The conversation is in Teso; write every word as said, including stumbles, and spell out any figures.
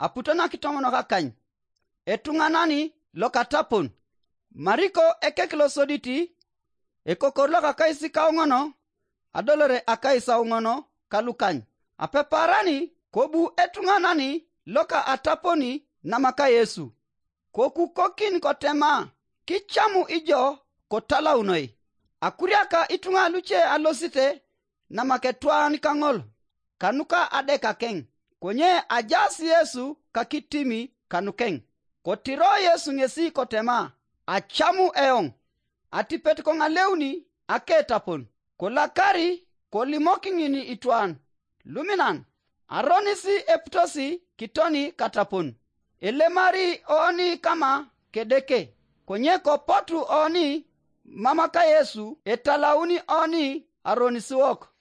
aputo nakitomonok akany. Etuŋanani lokatapon. Mariko ekek losoditi, ekokor lokakais kauŋono, adolore akais auŋono kalukany. Apeparani kobu etuŋanani loka ataponi namaka Yesu. Kokukokin kotema, kicamu ijo kotalaunoi. Akuriaka ituŋa luce alosite namaketwan kaŋol, kanuka adekakeŋ, konye ajaas Yesu kakitimi kanukeŋ. Kotiro Yesu ŋesi kotema, acamu eoŋ. Atipet koŋaleuni aketapon, kolakari kolimokiŋin itwan luminan, aronis eputosi kitoni katapon. Elemari oni kama kedeke, konye kopotu oni mamaka Yesu etalauni oni aronisiwok.